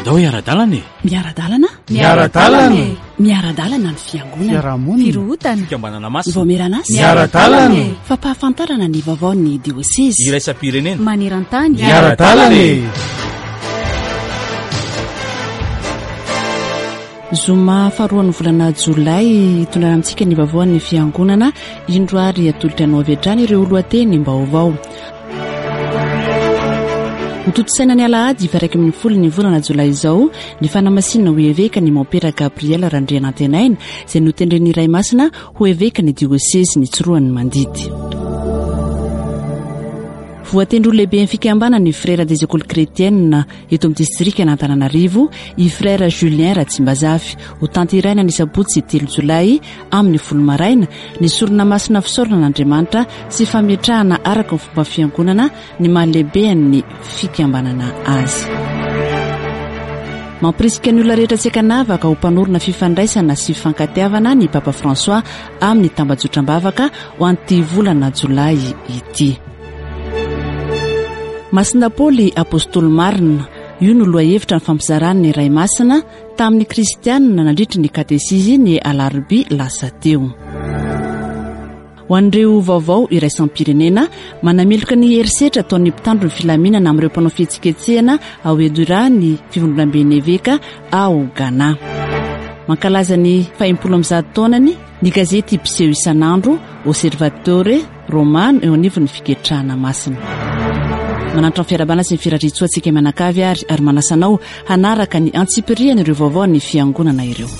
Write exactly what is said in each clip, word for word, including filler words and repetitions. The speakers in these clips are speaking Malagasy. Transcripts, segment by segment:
Andao hiara-dalana e! Miara-dalana? Miara-dalana e! Miara-dalana ny fiangonana. Fiarahamonina. Firohotana. Fikambanana masina. Vaomieran'asa. Miara-dalana e! Fampahafantarana ny vaovaon'ny diosezy. Iraisam-pirenena. Maneran-tany. Miara-dalana e! Zoma faharoan'ny volana jolay hitondrana amintsika ny vaovaon'ny fiangonana. Indro ary atolotra anao avy hatrany ireo lohatenim-baovao. Hotontosaina ny alahady faha iraika ambin'ny folo ny volana jolay izao ny fanamasinana ho eveka ny Mompera Gabriel Randrianantenaina izay notendren'ny Ray Masina ho eveka ny diosezy ny Tsiroanomandidy. Voatendry ho lehiben'ny fikambanana ny Frères des Écoles Chrétiennes eto amin'ny distrikan'Antananarivo i Frère Julien Ratsimbazafy. Ho tanterahina ny sabotsy telo jolay amin'ny folo maraina ny sorona masina fisaorana an'Andriamanitra sy fametrahana araka ny fomba fiangonana ny maha lehiben'ny fikambanana azy. Mampirisika ny olona rehetra tsy ankanavaka ho mpanorina fifandraisana sy fifankatiavana ny Papa François amin'ny tambajotram-bavaka ho an'ity volana jolay ity. Masina Paoly Apostoly marina, io no lohahevitra ny fampizarany ny Ray Masina tamin'ny kristianina nandritry ny katesizy ny alarobia lasa teo. Ho an'ireo vaovao iraisam-pirenena, manameloka ny herisetra ataon'ny mpitandro ny filaminana amin'ireo mpanao fihetsiketsehana ao Edura ny fivondronamben'ny eveka ao Ghana. Mankalaza ny fahenimpolo amby zato taonany ny gazety mpiseho isan'andro Osservatore Romano eo anivon'ny fiketrahana masina. Manantitra ny fiarahabana sy ny firariantsoa antsika mianakavy ary ary manasa anao hanaraka ny antsipiriany ireo vaovao ny fiangonana ireo.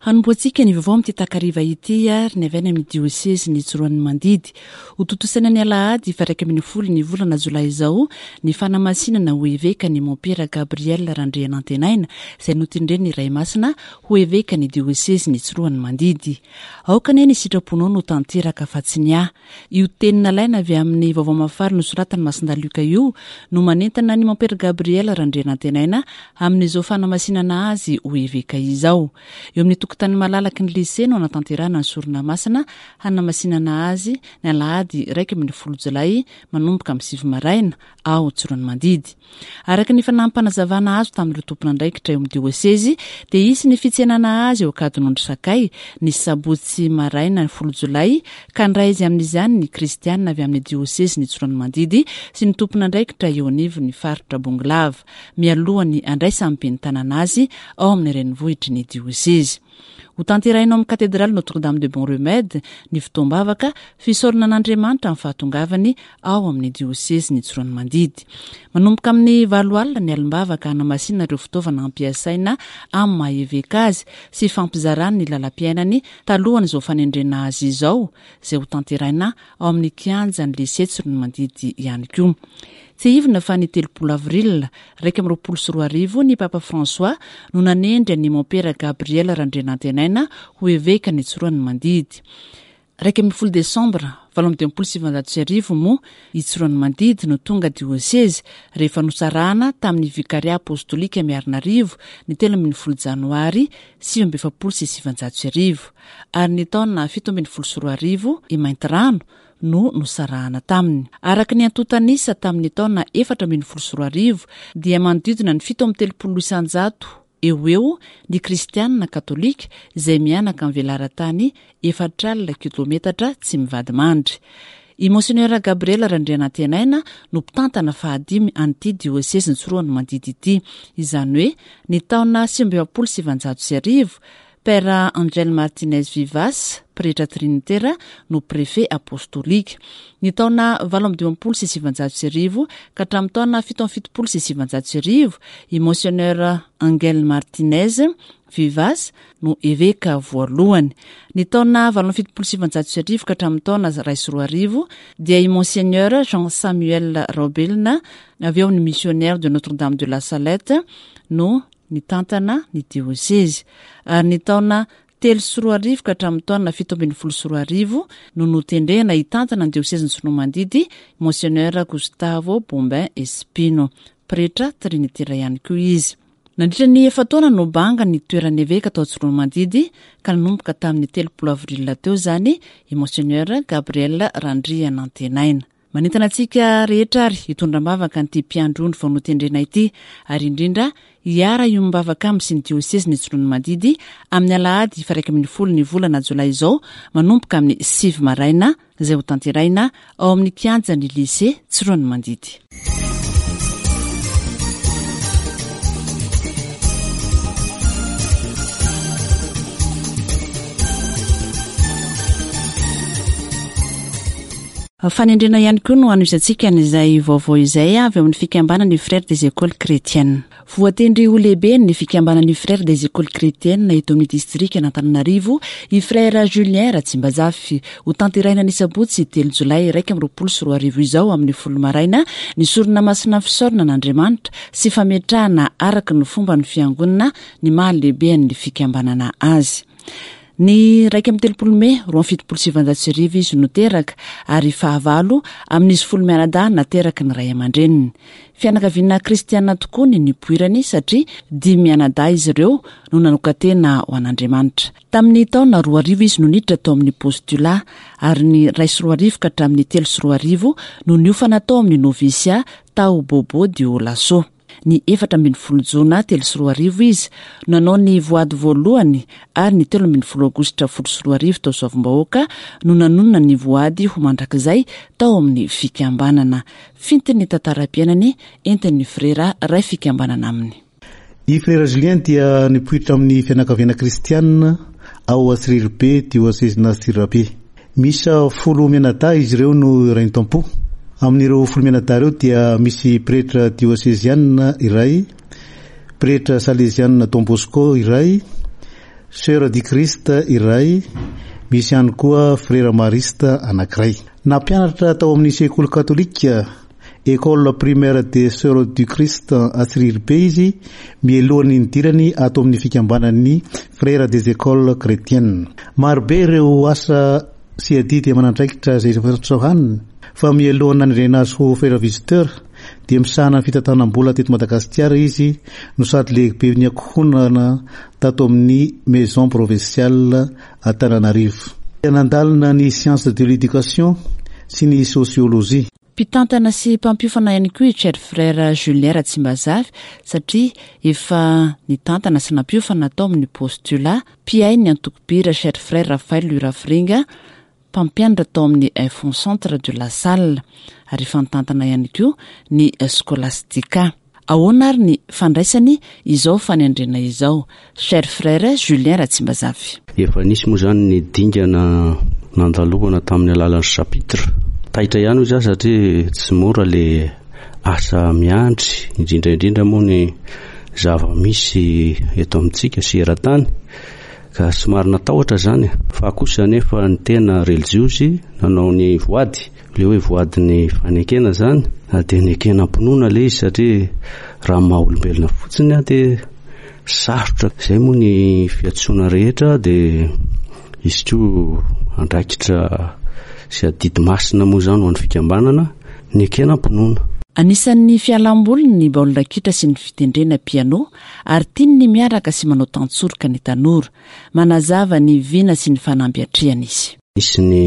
Hanombohantsika ny vaovao amin'ity takariva ity ary ny avy any amin'ny diosezy ny Tsiroanomandidy. Hotontosaina ny alahady faha iraika ambin'ny folo ny volana jolay izao ny fanamasinana ho eveka ny Mompera Gabriel Randrianantenaina izay notendren'ny Ray Masina ho eveka ny diosezy ny Tsiroanomandidy. Aoka anie ny sitraponao no tanteraka fa tsy ny ahy. Io teny nalaina avy amin'ny vaovao mahafaly nosoratan'i Masindahy Lioka io no manentana ny Mompera Gabriel Randrianantenaina amin'izao fanamasinana azy ho eveka izao. Eo amin'ny tokotany malalaky ny lycée no anatanterahana ny sorona masina hanamasinana azy ny alahady iraika ambin'ny folo jolay manomboka amin'ny sivy maraina ao Tsiroanomandidy. Araka ny fanampinazavana azo tamin'ireo tompon'andraikitra eo amin'ny diosezy dia hisy ny fitsenana azy eo Ankadinondry Sakay ny sabotsy maraina ny folo jolay ka handray izy amin'izany ny kristianina avy amin'ny diosezy ny Tsiroanomandidy sy ny tompon'andraikitra eo anivon'ny faritra Bongolava mialohan'ny andraisan'ny ben'ny tanàna azy ao amin'ny renivohitry ny diosezy. Ho tanterahina ao amin'ny katedraly Notre-Dame de Bon Remède ny fotoam-bavaka fisaorana an'Andriamanitra amin'ny fahatongavany ao amin'ny diosezy ny Tsiroanomandidy. Manomboka amin'ny valo alina ny alim-bavaka hanamasina ireo fitaovana ampiasaina amin'ny maha eveka azy sy fampizarany ny lalam-piainany talohan'izao fanendrena azy izao, izay ho tanterahina ao amin'ny kianjan'ny lycée Tsiroanomandidy ihany koa. Tsiahivina fa ny telopolo avril iraika amby roapolo sy roa arivo ny Papa François no nanendry an'i Mompera Gabriel Randrianantenaina ho eveka ny Tsiroanomandidy. Iraika ambin'ny folo desambra valo amby dimampolo sy sivinjato sy arivo moa i Tsiroanomandidy no tonga diosezy rehefa nosarahana tamin'ny vikaria apostolika Miarinarivo ny telo ambin'ny folo janoary sivy amby efapolo sy sivinjato sy arivo ary ny taona fito ambin'ny folo sy roa arivo i Maintirano no nosarahana taminy. Araka ny antontan'isa tamin'ny taona efatra ambin'ny folo sy roa arivo dia manodidina ny fito amby telopolo isanjato eo ho eo ny kristianina katolika izay mianaka amin'ny velaran-tany efatra alina kilometatra tsy mivadi-mandry. I Monseigneur Gabriel Randrianantenaina no mpitantana fahadimy an'ity diosezy ny Tsiroanomandidy ity, izany hoe ny taona sivy amby efapolo sy sivinjato sy arivo Père Angel Martinez Vivas, pretra trinitera, no préfet apostolika. Ny taona valo amby dimampolo sy sivinjato sy arivo ka hatramin'ny taona fito amby fitopolo sy sivinjato sy arivo, i Monseigneur Angel Martinez Vivas no eveka voalohany. Ny taona valo amby fitopolo sy sivinjato sy arivo ka hatramin'ny taona iray sy roa arivo dia i Monseigneur Jean Samuel Raobelina avy eo amin'ny missionnaire de Notre-Dame de la Salette no nitantana ny diosezy. Ary ny taona telo sy roa arivo ka hatramin'ny taona fito ambin'ny folo sy roa arivo no notendrena hitantana ny diosezin'i Tsiroanomandidy Monseigneur Gustavo Bombin Espino, pretra trinitera ihany koa izy. Nandritra ny efa-taona no banga ny toeran'ny eveka tao Tsiroanomandidy ka nanomboka tamin'ny telopolo avril teo izany i Monseigneur Gabriel Randrianantenaina. Manentana antsika rehetra ary hitondra am-bavaka an'ity mpiandry ondry vao notendrena ity ary indrindra hiara hiombom-bavaka aminy sy ny diosezin'i Tsiroanomandidy amin'ny alahady faha iraika ambin'ny folo ny volana jolay izao manomboka amin'ny sivy maraina izay ho tanterahina ao amin'ny kianjan'ny lycée Tsiroanomandidy. Fanendrena ihany koa no hanohizantsika an'izay vaovao izay avy ao amin'ny fikambanan'ny Frères des Écoles Chrétiennes. Voatendry ho lehibe ny fikambanan'ny Frères des Écoles Chrétiennes eto amin'ny distrika Antananarivo i Frère Julien Ratsimbazafy. Ho tanterahina ny sabotsy telo jolay iraika amby roapolo sy roa arivo izao amin'ny folo maraina ny sorona masina fisaorana an'Andriamanitra sy fametrahana araka ny fomba ny fiangonana ny maha lehibe ny fikambanana azy. Ny iraika amby telopolo mey roa amby fitopolo sy sivinjato sy arivo izy no teraka ary fahavalo amin'izy folo mianadahy nateraky ny ray aman-dreniny. Fianakaviana kristiana tokoa ny nipoirany satria dimy mianadahy izy ireo no nanokan-tena ho an'Andriamanitra. Tamin'ny taona roa arivo izy no niditra tao amin'ny postulat ary ny iray sy roa arivo ka hatramin'ny telo sy roa arivo no niofana tao amin'ny novisia tao Bobo Dioulasso. Ny efatra ambin'ny folo jona telo sy roa arivo izy no nanao ny voady voalohany ary ny telo ambin'ny folo aogositra folo sy roa arivo tao Soavimbahoaka no nanonona ny voady ho mandrakizay tao amin'ny fikambanana. Fintin'ny tantaram-piainany entin'ny frera ray fikambanana aminy. I Frère Julien dia nipoitra amin'ny fianakaviana kristianina ao Antsirabe, diosezin'i Antsirabe. Misy folo mianadahy izy ireo no iray tampo. Amin'ireo folo mianadahy ireo dia misy pretra diosezianina iray, pretra salezianina Don Bosco iray, Sœur du Christ iray, misy ihany koa frère mariste anankiray. Nampianatra tao amin'ny sekoly katolika École primaire des Sœurs du Christ Antsirabe izy mialohan'ny nidirany ato amin'ny fikambanan'ny Frères des Écoles Chrétiennes. Marobe ireo asa sy adidy aman'andraikitra izay sahaniny fa mialohan'ny nanendrena azy ho frère visiteur dia misahana ny fitantanam-bola teto Madagasikara izy no sady lehibe ny ankohonana tato amin'ny maison provinciale Antananarivo. Nandalina ny science de l'éducation sy ny sociologie. Mpitantana sy mpampiofana ihany koa i Cher Frère Julien Ratsimbazafy satria efa nitantana sy nampiofana tao amin'ny postulat, mpihay ny antoko-bira Cher Frère Raphaël Lurafiringa, mpampianatra tao amin'ny Info Centre de la Salle ary efa nitantana ihany koa ny Scholastica. Ahoana ary ny fandraisany izao fanendrena izao? Cher Frère Julien Ratsimbazafy. Efa nisy moa zany ny dingana nandalovana tamin'ny alalan'ny chapitre. Taitra ihany izy satria tsy mora le asa miandry, indrindra indrindra moa ny zava-misy eto amintsika sy eran-tany ka somary natahotra zany. Fa kosa nefa ny tena relijiozy nanao ny voady, le hoe voadin'ny fanekena zany, dia nekena am-pinoana le izy satria raha maha olombelona fotsiny dia sarotra. Izay moa ny fiantsoana rehetra dia izy koa andraikitra sy adidy masina moa zany ho an'ny fikambanana nekena am-pinoana. Anisan'ny fialamboliny ny baolina kitra sy ny fitendrena piano ary tiany ny miaraka sy manao tantsoroka ny tanora. Manazava ny vina sy ny fanamby atrehana izy. Nisy ny,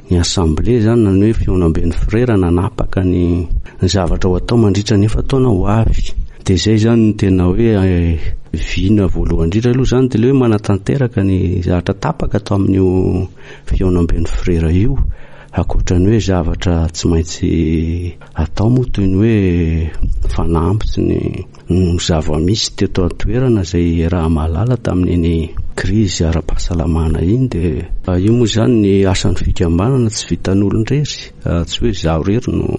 ny assemblée zany na ny hoe fihaonamben'ny frera nanapaka ny, ny zavatra ho atao mandritra ny efa-taona ho avy. Dia izay zany no tena hoe vina voalohany indrindra aloha zany dia le hoe manatanteraka ny zavatra tapaka tao amin'io fihaonamben'ny frera io. Ankoatra ny hoe zavatra tsy maintsy atao moa toy ny hoe fanamby sy ny, ny zava-misy teto an-toerana izay raha mahalala tamin'iny krizy ara-pahasalamana iny. Dia io moa zany ny asan'ny fikambanana tsy vitan'olon-drery, tsy hoe izaho irery no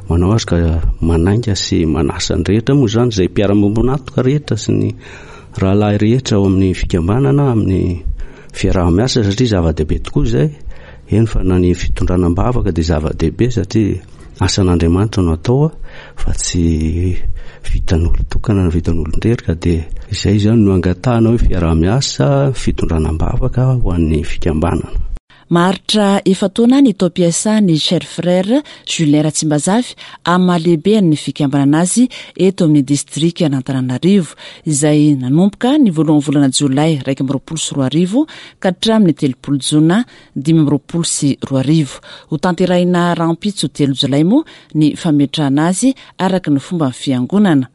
manao azy ka manainga sy manasa ny rehetra moa zany izay mpiara-miombon'antoka rehetra sy ny rahalahy rehetra ao amin'ny fikambanana amin'ny fiaraha-miasa satria zava-dehibe tokoa izay. Eny fa na ny fitondrana am-bavaka dia zava-dehibe satria asan'Andriamanitra no atao fa tsy vitan'olon-tokana na vitan'olon-drery ka dia izay zany no angatahana hoe fiaraha-miasa, fitondrana am-bavaka ho an'ny fikambanana. Maharitra efa-taona ny taom-piasan'ny Cher Frère Julien Ratsimbazafy amin'ny mahalehiben'ny fikambanana azy eto amin'ny distrika Antananarivo, izay nanomboka ny voalohan'ny volana jolay iraika amby roapolo sy roa arivo ka hatramin'ny telopolo jona dimy amby roapolo sy roa arivo. Ho tanterahina rahampitso telo jolay moa ny fametrahana azy araka ny fomba fiangonana.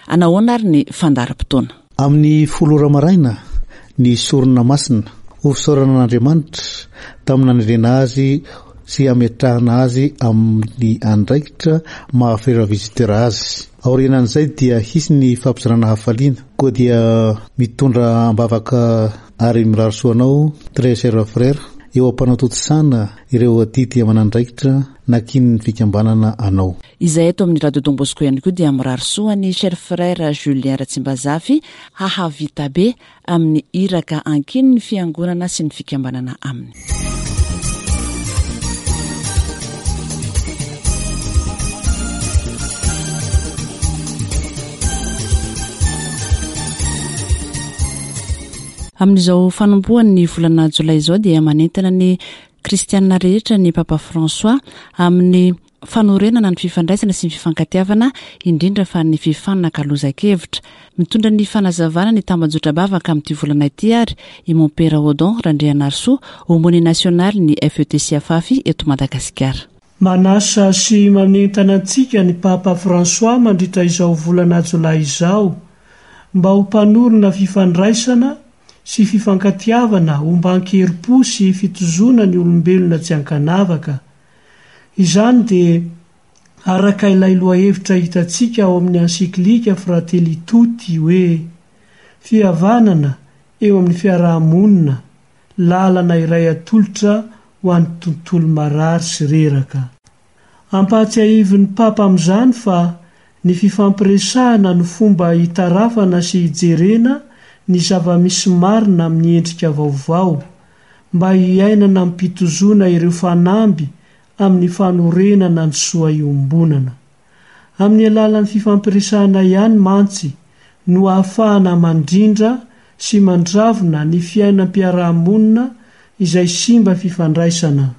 Anahoana ary ny fandaharam-potoana? Amin'ny folo ora maraina ny sorona masina ho fisaorana an'Andriamanitra tamin'ny nanendrena azy sy hametrahana azy amin'ny andraikitra maha frera visiteur azy. Aorianan'izay dia hisy ny fampizarana hafaliana. Koa dia mitondra am-bavaka ary mirary soa anao, très cher frère, eo am-panatontosana ireo adidy aman'andraikitra nankinin'ny fikambanana anao. Izay eto amin'ny Radio Don Bosco ihany koa dia mirary soa ny Cher Frère Julien Ratsimbazafy hahavita be amin'ny iraka ankinin'ny fiangonana sy ny fikambanana aminy. Amin'izao fanombohan'ny volana jolay izao dia manentana ny kristianina rehetra ny Papa François amin'ny fanorenana ny fifandraisana sy ny fifankatiavana, indrindra fa ny fifanakalozan-kevitra. Mitondra ny fanazavana ny tambajotra-bavaka amin'ity volana ity ary i Mompera Odon Randrianarisoa, aumônier national ny F E T C Afafy eto Madagasikara. Manasa sy manentana antsika ny Papa François mandritra izao volana jolay izao mba ho mpanorina fifandraisana sy fifankatiavana omban-kerim-po sy fitozoana ny olombelona tsy ankanavaka. Izany dia araka ilay lohahevitra hitantsika ao amin'ny encyclique Fratelli Tutti hoe fihavanana eo amin'ny fiarahamonina, lalana iray atolotra ho an'ny tontolo marary sy reraka. Ampahatsiahivin'ny Papa amin'izany fa ny fifampiresahana no fomba hitarafana sy hijerena ny zava-misy marina amin'ny endrika vaovao mba hiainana am-pitozoana ireo fanamby amin'ny fanorenana ny soa iombonana. Amin'ny alalan'ny fifampiresahana ihany mantsy no ahafahana mandrindra sy mandravona ny fiainam-piarahamonina izay simba fifandraisana.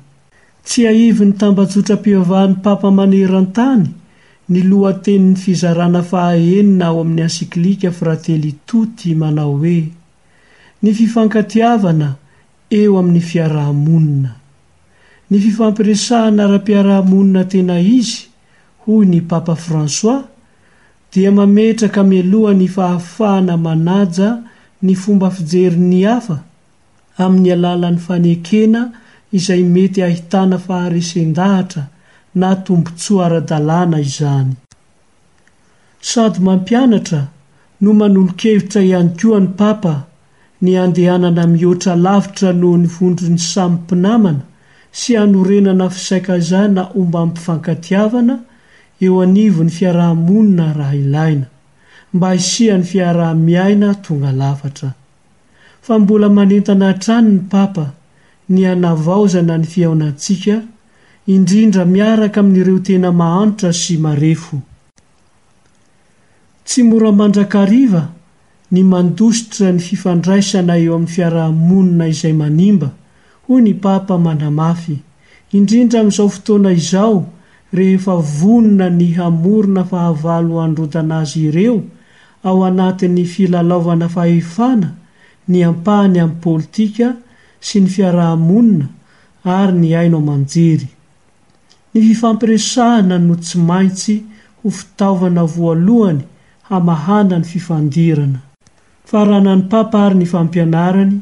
Tsy ahivin'ny tambajotram-pivavahan'ny Papa maneran-tany ny lohatenin'ny fizarana fahaenina ao amin'ny encyclique Fratelli Tutti manao hoe ny fifankatiavana eo amin'ny fiarahamonina. Ny fifampiresahana ara-piarahamonina tena izy, hoy ny Papa François, dia mametraka mialoha ny fahafahana manaja ny fomba fijerin'ny hafa amin'ny alalan'ny fanekena izay mety ahitana faharesen-dahatra na tombontsoa ara-dalàna izany. Sady mampianatra no manolo-kevitra ihany koa ny Papa ny andehanana mihoatra lavitra noho ny vondron'ny samy mpinamana sy hanorenana fisaikazana ombam-pifankatiavana eo anivon'ny fiarahamonina raha ilaina, mba hisian'ny fiaraha-miaina tonga lafatra. Fa mbola manentana hatrany ny Papa ny hanavaozana ny fihaonantsika, indrindra miaraka amin'ireo tena mahantra sy marefo. Tsy mora mandrakariva ny mandositra ny fifandraisana eo amin'ny fiarahamonina izay manimba, hoy ny Papa manamafy, indrindra amin'izao fotoana izao rehefa vonona ny hamorona fahavalo handrodana azy ireo ao anatin'ny filalaovana fahefana ny ampahany amin'ny politika sy ny fiarahamonina ary ny haino aman-jery. Ny fifampiresahana no tsy maintsy ho fitaovana voalohany hamahana ny fifandirana. Faranan'ny Papa ary ny fampianarany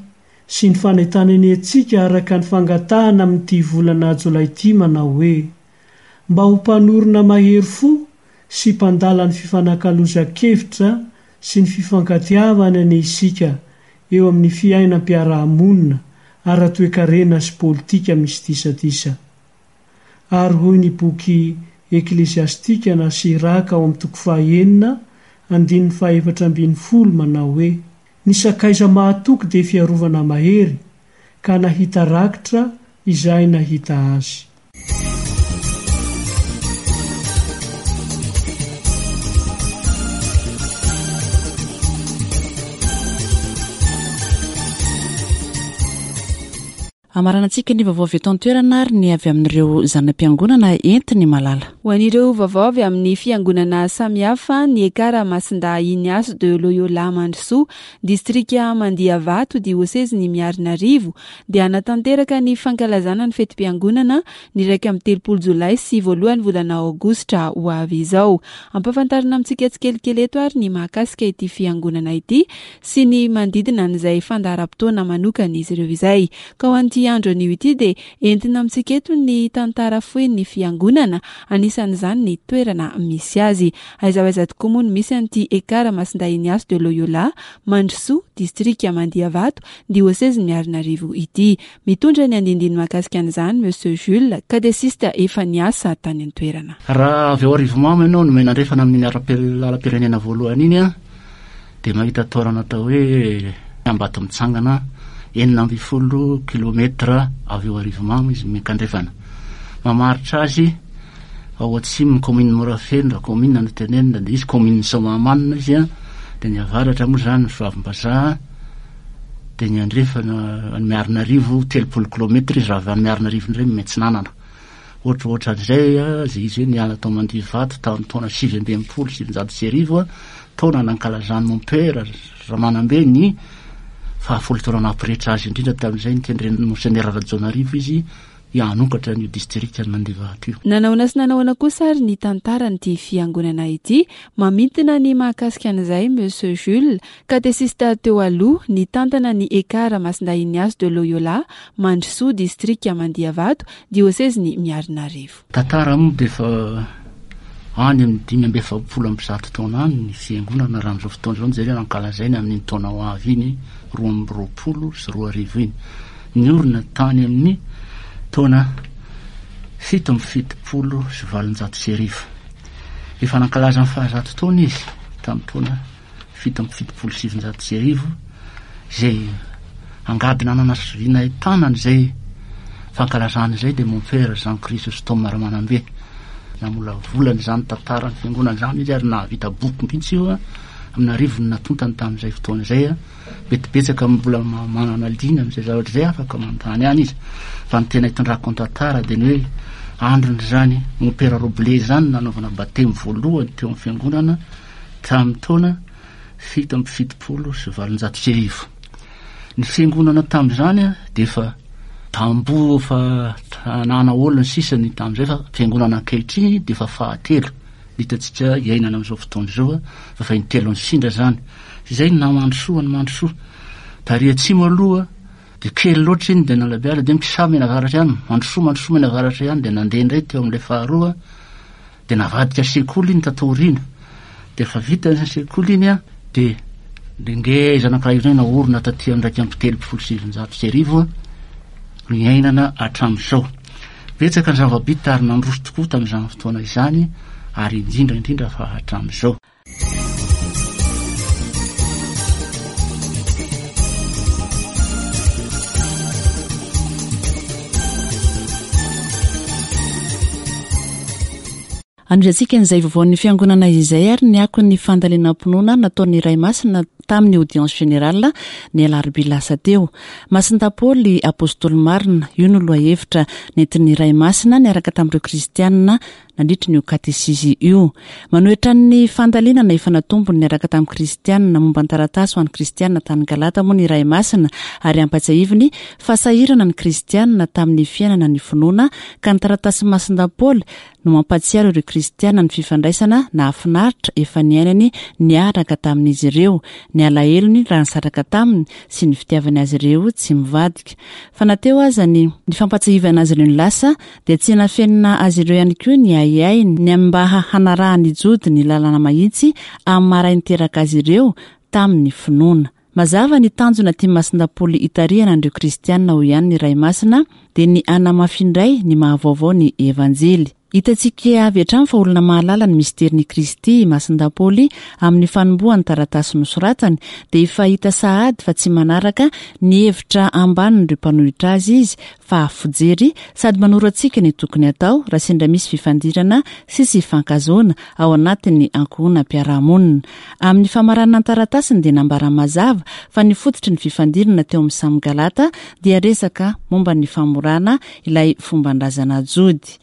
sy ny fanentanany antsika araka ny fangatahana amin'ity volana jolay ity manao hoe mba ho mpanorina mahery fo sy mpandala ny fifanakalozan-kevitra sy ny fifankatiavana ny isika eo amin'ny fiainam-piarahamonina ara-toekarena sy politika misy disadisa. Ary hoy ny boky Eklesiastika na Siraka ao amin'ny toko fahaenina andininy fahaefatra ambin'ny folo manao hoe ny sakaiza mahatoky dia fiarovana mahery ka nahita rakitra izay nahita azy. Amaranantsika ny vaovao avy eto an-toerana ary ny avy amin'ireo zanam-piangonana entiny malala. Ho an'ireo vaovao avy amin'ny fiangonana samihafa, ny Ekara Masindahy Ignace de Loyola Mandrosoa, distrika Mandiavato, diosezin'i Miarinarivo, dia hanatanteraka ny fankalazana ny fetim-piangonana ny iraika amby telopolo jolay sy voalohany volana aogositra ho avy izao. Ampahafantarina amintsika tsikelikely eto ary ny mahakasika ity fiangonana ity sy ny manodidina an'izay fandaharam-potoana manokana izy ireo izay. Ka ho an'ity andro anio ity dia entina amintsika eto ny tantara fohy ny fiangonana, anisan'izany ny toerana misy azy. Aiza ho aiza tokoa moa no misy an'ity Ekara Masindahy Ignace de Loyola Mandrosoa, distrika Mandiavato, diosezin'i Miarinarivo ity. Mitondra ny andindiny mahakasika an'izany Monsieur Jules, katesista efa niasa tany an-toerana. Raha avy ao Arivomamo ianao no mianandrefana amin'ny lalam-pirenena voalohany iny a, dia mahita toerana atao hoe Ambato mitsangana, enina amby folo kilometra avy eo Arivomamo izy miankandrefana. Mamaritra azy ao atsimo ny commune Morafeno, raha commune no tenenina dia izy commune Soamahamanina izy a, dia ny avaratra moa zany Soavimbazaha, dia ny andrefana any Miarinarivo telopolo kilometra izy, raha avy any Miarinarivo indray miantsinanana. Ohatra ohatran'izay a, zay izy hoe niala tao Mandivato tamin'ny taona sivy amby enimpolo sy sivinjato sy arivo a, taona nankalazan'ny mompera Ramanambe ny fahafolo taona nampirehetra azy indrindra tamin'izay nitendren'ny Monseigneur Rajaonarivo izy hanokatra ny distrika ny Mandivato io. Nanahoana sy nanahoana kosa ary ny tantaran'ity fiangonana ity? Mamintina ny mahakasika an'izay Monsieur Jules, katesista teo aloha, nitantana ny Ekara Masindahy Ignace de Loyola Mandrosoa, distrika Mandiavato, diosezin'i Miarinarivo. Tantara moa dia efa any amin'ny dimy amby efapolo amby zato taona any ny fiangonana raha amin'izao fotoana izao no jerena, ankalazaina amin'iny taona ho avy iny roa amby roapolo sy roa arivo iny. Niorina tany amin'ny taona fito amby fitopolo sy valonjato sy arivo. Efa nankalaza ny fahazato taona izy tamin'ny taona fito amby fitopolo sy sivinjato sy arivo, izay angady nanana sy vy nahitana an'izay fankalazana izay dia mompera Jean Chrysostome Ramanambe. Namolavola izany tantaran'ny fiangonana izany izy ary nahavita boky mihitsy io a, amin'ny arivony natontany tamin'izay fotoana izay a. Betibetsaka mbola ma-, manana liana amin'izay zavatra izay, afaka manontany ihany izy. Fa ny tena hitondrako ny tantara dia ny hoe andron'izany mompera Roble izany nanaovana batemy voalohany teo amin'ny fiangonana tamin'ny taona fito amby fitopolo sy valonjato sy arivo. Ny fiangonana tamin'izany a, dia efa tamboho efa tanàna olona sisa ny tamin'izay, fa fiangonana ankehitriny dia efa fahatelo hitantsika iainana amin'izao fotoana izao a, fa efa intelo ny sindra izany. Izay no namandrosoa ny mandrosoa. Tary atsimo aloha dia kely loatra iny dia nalabiala, dia mikisamy mianavaratra ihany, mandrosoa mandrosoa mianavaratra ihany, dia nandeha indray teo amin'ilay faharoa, dia navadika sekoly iny tato aoriana. Dia efa vita ny sekoly iny a, dia ngeza anankiray indray naorina taty amin'ny iraika amby telopolo sy sivinjato sy arivo a, niainana hatramin'izao. Betsaka ny zava-bita ary nandroso tokoa tamin'izany fotoana izany, ary indrindra indrindra fa hatramin'izao. Anohizantsika an'izay vaovaon'ny fiangonana izay ary ny akon'ny fandalinam-pinoana nataon'ny Ray Masina tamin'ny audience générale ny alarobia lasa teo. Masindahy Paoly apôstôly marina, io no lohahevitra nentin'ny Ray Masina niaraka tamin'ireo kristianina nandritra ny katesizy io. Manohitra ny fandalinana efa natombony niaraka tamin'ny kristianina momba ny taratasy ho an'ny kristianina tany Galata moa ny Ray Masina, ary ampatsiahiviny fa sahirana ny kristianina tamin'ny fiainana ny finoana, ka ny taratasy Masindahy Paoly no mampatsiaro ireo kristianina ny fifandraisana nahafinaritra efa niainany niaraka tamin'izy ireo, ny alahelony raha nisaraka taminy sy ny fitiavany azy ireo tsy mivadika. Fa na teo aza ny, ny fampatsiahivana azy ireo ny lasa, dia tsy nafenina azy ireo ihany koa ny ahiahiny ny amin'ny mba hanarahan'ny Jody ny lalana mahitsy amin'ny maha-ray niteraka azy ireo tamin'ny finoana. Mazava ny tanjona tia Masindahy Paoly hitarihana an'ireo kristianina ho ihany ny Ray Masina, dia ny hanamafy indray ny mahavaovao ny Evanjely. Hitantsika avy hatrany fa olona mahalala ny misterin'i Kristy i Masindahy Paoly amin'ny fanombohan'ny taratasy nosoratany, dia efa hita sahady fa tsy manaraka ny hevitra ambanin'ireo mpanohitra azy izy fa fijery sady manoro antsika ny tokony atao raha sendra misy fifandirana sy tsy fifankahazoana ao anatin'ny ankohonam-piarahamonina. Amin'ny famaranana ny taratasiny dia nambara mazava fa ny fototry ny fifandirana teo amin'ny samy Galata dia resaka momba ny famorana ilay fomban-drazana jody.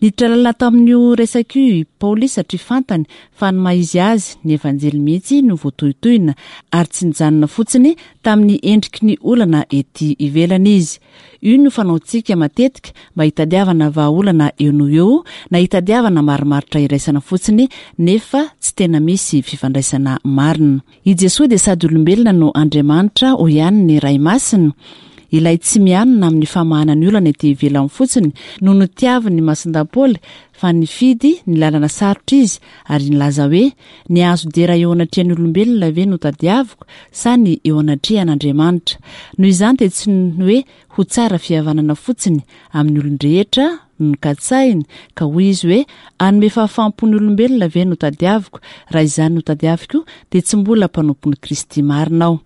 Niditra lalina tamin'io resaka io i Paoly satria fantany fa ny maha izy azy ny Evanjely mihitsy no voatohitohina ary tsy nijanona fotsiny tamin'ny endriky ny olana ety ivelany izy. Io no fanaontsika matetika mba hitadiavana vahaolana eo no eo na hitadiavana marimaritra iraisana fotsiny nefa tsy tena misy fifandraisana marina. I Jesoa dia sady olombelona no Andriamanitra hoy ihany ny Ray Masina. Ilay tsy mianina amin'ny famahana ny olana ety ivelany fotsiny no notiavin'ny Masindahy Paoly fa nifidy ny lalana sarotra izy ary nilaza hoe ny hahazo dera eo anatrehan'ny olombelona ve no tadiaviko sa ny eo anatrehan'Andriamanitra. Noho izany dia tsy ny hoe ho tsara fihavanana fotsiny amin'ny olon-drehetra no nokatsahiny ka hoy izy hoe hanome fahafaham-po ny olombelona ve no tadiaviko, raha izany no tadiaviko dia tsy mbola mpanompon'i Kristy marina aho.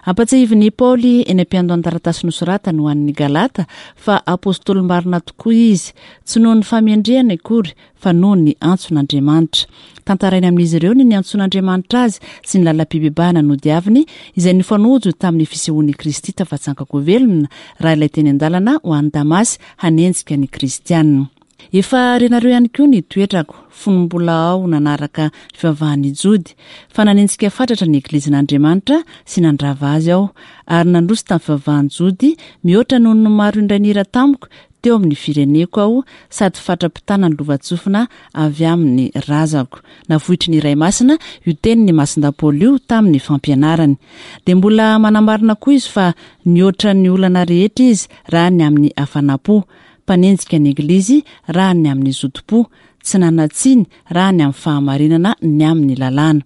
Ampatsiahivin'i Paoly eny am-piandohan'ny taratasy nosoratany ho an'ny Galata fa apôstôly marina tokoa izy, tsy noho ny fahamendrehany akory fa noho ny antson'Andriamanitra. Tantarainy amin'izy ireo ny niantson'Andriamanitra azy sy ny lalam-pibebahana nodiaviny izay nifanojo tamin'ny fisehoan'i Kristy tafatsanka-ko velona raha ilay teny an-dalana ho any Damasy hanenjika ny Kristianina. Efa renareo ihany koa ny toetrako fony mbola aho nanaraka ny fivavahan'ny Jody, fa nanenjika fatratra ny Eglizin'Andriamanitra sy nandrava azy aho, ary nandroso tamin'ny fivavahan'ny Jody mihoatra noho ny maro indray nira tamiko teo amin'ny fireneko aho, sady fatra-pitana ny lovantsofina avy amin'ny razako. Navoitry ny Ray Masina io tenin'ny Masindahy Paoly io tamin'ny fampianarany. Dia mbola manamarina koa izy fa nihoatra ny olana rehetra izy raha ny amin'ny hafanam-po, mpanenjika ny Eglizy raha ny amin'ny zotom-po, tsy nanan-tsiny raha ny amin'ny fahamarinana ny amin'ny lalàna.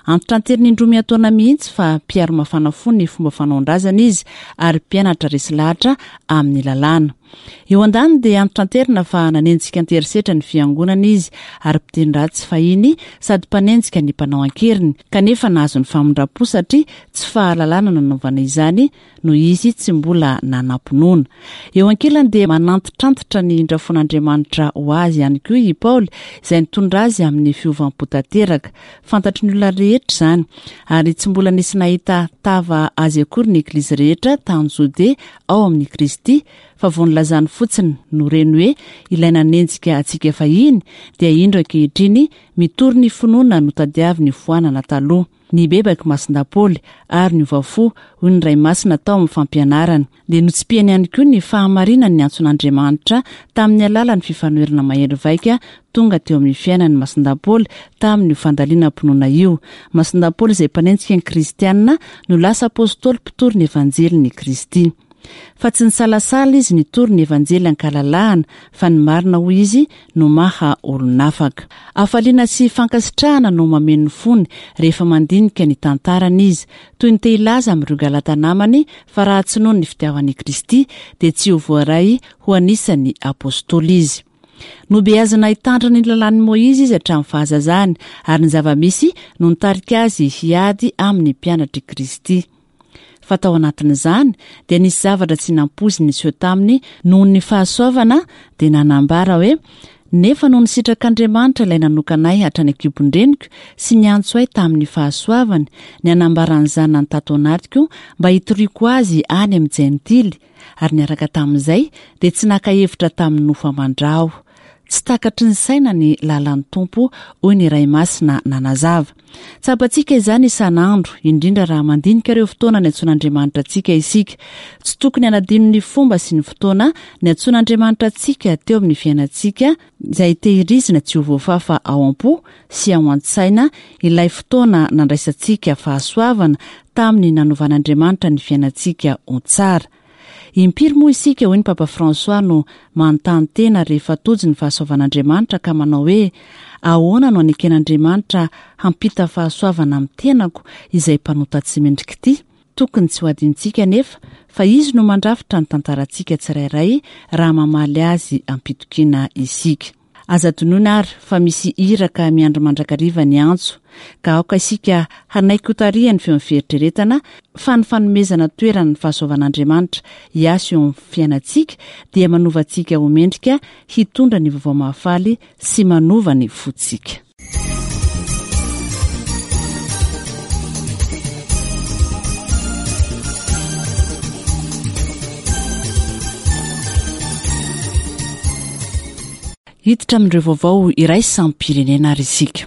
Antitranteriny indroa miantaona mihitsy fa mpiaro mafana fo ny fomba fanaon-drazana izy ary mpianatra resy lahatra amin'ny lalàna. Eo an-daniny dia antitranterina fa nanenjika an-terisetra ny fiangonana izy ary mpiteny ratsy fahiny sady mpanenjika ny mpanao an-keriny, kanefa nahazo ny famindram-po satria tsy fahalalana nanaovana izany noho izy tsy mbola nanam-pinoana. Eo ankilany dia manantitrantitra ny indrafon'Andriamanitra ho azy ihany koa i Paoly izay nitondra azy amin'ny fiovam-po tanteraka. Fantatry ny olona rehetra izany ary tsy mbola nisy nahita tava azy akory ny Eglizy rehetra tany Jodea ao amin'ny Kristy, fa vao nilazany fotsiny no reny hoe ilay nanenjika antsika fahiny dia indro ankehitriny mitory ny finoana notadiaviny foanana taloha. Nibebaka Masindahy Paoly ary niova fo hoy ny Ray Masina tao amin'ny fampianarana. Dia notsipihany ihany koa ny fahamarinan'ny antson'Andriamanitra tamin'ny alalan'ny fifanoherana mahery vaika tonga teo amin'ny fiainan'ny Masindahy Paoly tamin'io fandalinam-pinoana io. Masindahy Paoly izay mpanenjika ny Kristianina no lasa apôstôly mpitory ny Evanjelin'i Kristy. Fa tsy nisalasala izy nitory ny Evanjely ankalalahana fa ny marina hoy izy no maha olon'afaka. Hafaliana sy fankasitrahana no mameno ny fony rehefa mandinika ny tantarany izy, toy ny te hilaza amin'ireo Galata namany fa raha tsy noho ny fitiavan'i Kristy dia tsy ho voaray ho anisan'ny apôstôly izy. Nobeazina hitandrina ny lalàn'i Môizy izy hatramin'ny fahazazany ary ny zava-misy no nitarika azy hiady amin'ny mpianatr'i Kristy. Fa tao anatin'izany dia nisy zavatra tsy nampoiziny niseho taminy noho ny fahasoavana, dia nanambara hoe nefa noho ny sitrak'Andriamanitra ilay nanokana ahy hatrany an-kibon-dreniko sy niantso ahy tamin'ny fahasoavany, ny hanambaran'ny zanany tato anatiko mba hitoriako azy any amin'ny jentily, ary niaraka tamin'izay dia tsy naka hevitra tamin'ny nofo aman-dra aho. Tsy takatry ny saina ny lalan'ny Tompo, hoy ny Ray Masina nanazava. Tsapantsika izany isan'andro, indrindra raha mandinika ireo fotoana niantsoan'Andriamanitra antsika isika. Tsy tokony hanadino ny fomba sy ny fotoana niantsoan'Andriamanitra antsika teo amin'ny fiainantsika, izay tehirizina tsy ho voafafa ao am-po sy ao an-tsaina ilay fotoana nandraisantsika fahasoavana tamin'ny nanovan'Andriamanitra ny fiainantsika ho tsara. Impiry moa isika, hoy ny Papa François, no manontany tena rehefa tojo ny fahasoavan'Andriamanitra ka manao hoe ahoana no aneken'Andriamanitra hampita fahasoavana amin'ny tenako izay mpanota tsy mendrika ity? Tokony tsy ho adinontsika nefa fa izy no mandrafitra ny tantarantsika tsirairay raha mamaly azy am-pitokiana isika. Aza adinoina ary fa misy iraka miandry mandrakariva ny antso, ka aoka isika hanaiky hotarihan'ny feon'ny fieritreretana fa ny fanomezana toerana ny fahasoavan'Andriamanitra hiasa eo amin'ny fiainantsika dia manova antsika ho mendrika hitondra ny vaovao mahafaly sy manova ny fontsika. Hiditra amin'ireo vaovao iraisam-pirenena ary isika.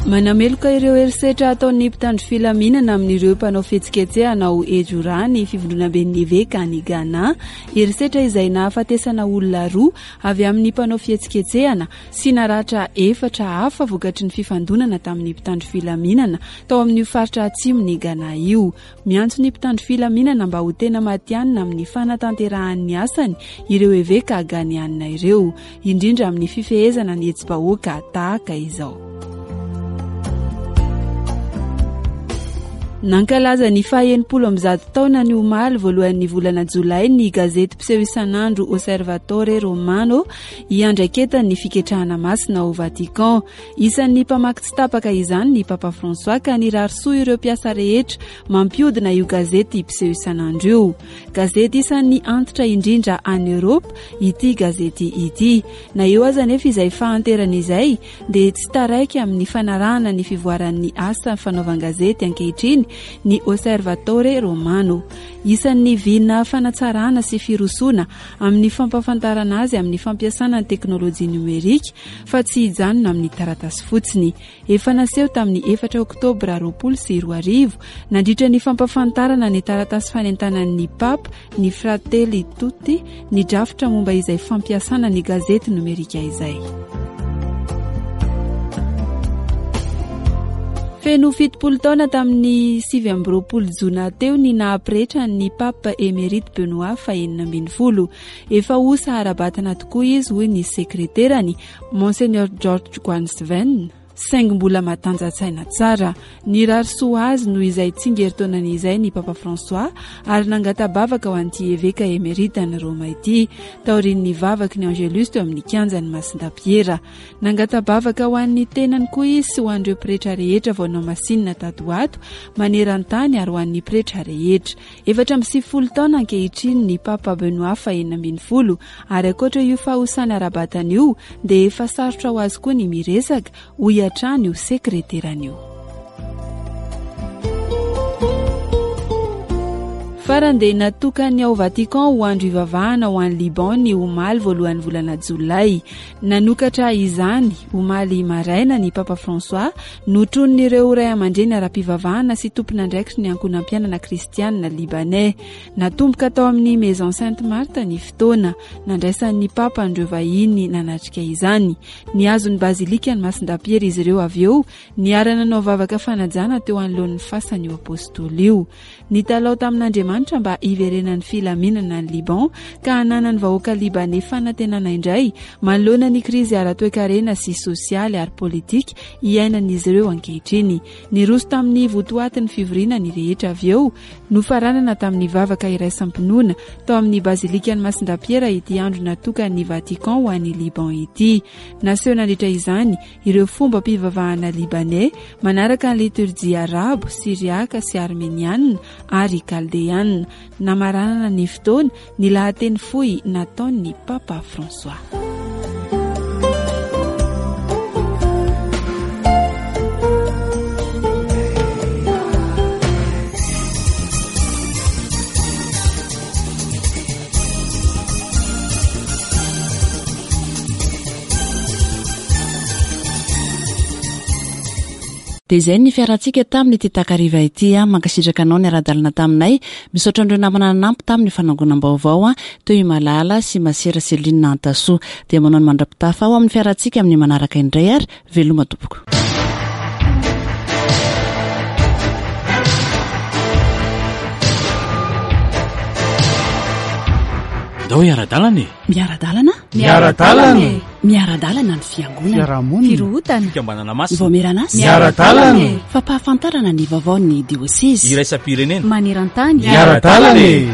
Manameloka ireo herisetra ataon'ny mpitandro filaminana amin'ireo mpanao fihetsiketsehana ao Ejura ny fivondronamben'ny eveka any Ghana. Herisetra izay nahafatesana olona roa avy amin'ny mpanao fihetsiketsehana sy naratra efatra hafa vokatry ny fifandonana tamin'ny mpitandro filaminana tao amin'io faritra atsimon'i Ghana io. Miantso ny mpitandro filaminana mba ho tena matihanina amin'ny fanatanterahany ny asany ireo eveka ghanianina ireo, indrindra amin'ny fifehezana ny hetsi-bahoaka tahaka izao. Nankalaza ny faha-enimpolo amby zato taona ny omaly voalohan'ny volana jolay ny gazety mpiseho isan'andro Osservatore Romano iandraiketan'ny fiketrahana masina ao Vatican. Isan'ny mpamaky tsy tapaka izany ny Papa François ka nirary soa ireo mpiasa rehetra mampiodina io gazety mpiseho isan'andro io. Gazety isan'ny antitra indrindra any Eoropa ity gazety ity. Na eo aza nefa izay fahanterana izay dia tsy taraiky amin'ny fanarahana ny fivoaran'ny asa fanaovan-gazety ankehitriny ny Osservatore Romano. Isan'ny vina fanatsarana sy firosoana amin'ny fampahafantarana azy amin'ny fampiasana ny teknôlôjia nomerika fa tsy hijanona amin'ny taratasy fotsiny. Efa naseho tamin'ny efatra oktobra roapolo sy roa arivo nandritra ny fampahafantarana ny taratasy fanentanan'ny Papa ny Fratelli Tutti ny drafitra momba izay fampiasana ny gazety nomerika izay. Feno fitopolo taona tamin'ny sivy amby roapolo jona teo ny nahapretra ny Pape émérite Benoît fahenina ambin'ny folo. Efa osa ara-batana tokoa izy hoy ny sekreterany Monseigneur George Guansven, saingy mbola matanjatsaina tsara. Nirary soa azy noho izay tsingerin-taonany izay ny Papa François ary nangata-bavaka ho an'ity eveka émérite any Roma ity taorian'ny vavaky ny Angelus teo amin'ny kianjan'ny Masindapiera. Nangata-bavaka ho an'ny tenany koa izy sy ho an'ireo pretra rehetra vao nomasinina tato ho ato maneran-tany ary ho an'ny pretra rehetra. Efatra amby sivifolo taona ankehitriny ny Papa Benoît fahenina ambin'ny folo ary ankoatra io fahosana ara-batana io dia efa sarotra ho azy koa ny miresaka hoy hatrany io sekreterany io. Farany dia natokany ao Vatican ho andro ivavahana ho an'i Liban ny omaly voalohan'ny volana jolay. Nanokatra izany omaly maraina ny Papa François notronin'ireo ray aman-dreny ara-pivavahana sy tompon'andraikitry ny ankohonam-piainana kristianina libanais. Natomboka tao amin'ny Maison Sainte Marthe ny fotoana nandraisan'ny Papa an'ireo vahiny nanatrika izany. Nihazo ny bazilika ny Masindapiera izy ireo avy eo niara-nanao vavaka fanajana teo anoloan'ny fasan'io apôstôly io. Nitalao tamin'Andriamanitra mba hiverenan'ny filaminana ny Liban ka hananan'ny vahoaka libanais fanantenana indray manoloana ny krizy ara-toekarena sy sosialy ary politika iainan'izy ireo ankehitriny. Niroso tamin'ny votoatin'ny fivoriana ny rehetra avy eo, nofaranana tamin'ny vavaka iraisam-pinoana tao amin'ny bazilikan'ny Masindapiera ity andro natokan'ny Vatican ho an'i Liban ity. Naseho nandritra izany ireo fombam-pivavahana libanais manaraka ny liturjia arabo, siriaka sy armeniana ary kaldeana. Namaranana ny fotoana ny lahateny fohy nataon'ny Papa François. Dia izay ny fiarantsika tamin'ity takariva ity. Mankasitraka anao ny ara-dalana taminay. Misaotra an'ireo namana nanampy tamin'ny fanangonam-baovao teo i Malala sy Masera Céline Antasoa. Dia manao ny mandra-pitafa ao amin'ny fiarantsika amin'ny manaraka indray ary veloma tompoko. Andao hiara-dalana e! Miara-dalana? Miara-dalana e! Miara-dalana ny fiangonana. Fiarahamonina. Firohotana. Fikambanana masina. Vaomieran'asa. Miara-dalana e! Fampahafantarana ny vaovaon'ny diosezy. Iraisam-pirenena. Maneran-tany. Miara-dalana e!